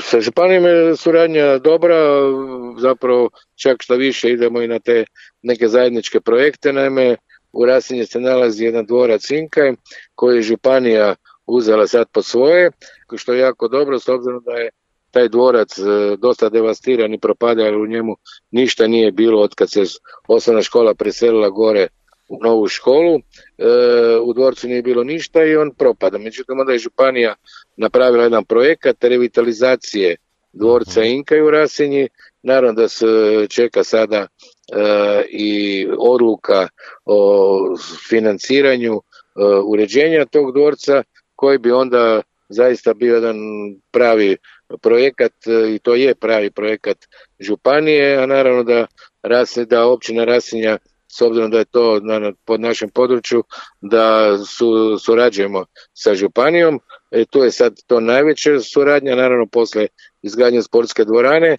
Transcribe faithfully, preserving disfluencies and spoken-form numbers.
Sa županijom je suradnja dobra, zapravo čak što više idemo i na te neke zajedničke projekte. Naime, u Rasinji se nalazi jedan dvorac Inkaj koji je županija uzela sad po svoje, što je jako dobro s obzirom da je taj dvorac dosta devastiran i propada, ali u njemu ništa nije bilo od kad se osnovna škola preselila gore u novu školu. E, u dvorcu nije bilo ništa i on propada. Međutim, onda je županija napravila jedan projekat revitalizacije dvorca Inkaj u Rasinji. Naravno da se čeka sada e, i odluka o financiranju e, uređenja tog dvorca, koji bi onda zaista bio jedan pravi projekat, i to je pravi projekat županije, a naravno da, da općina Rasinja, s obzirom da je to na, pod našem području, da su, surađujemo sa županijom. E, tu je sad to najveća suradnja, naravno posle izgradnje sportske dvorane,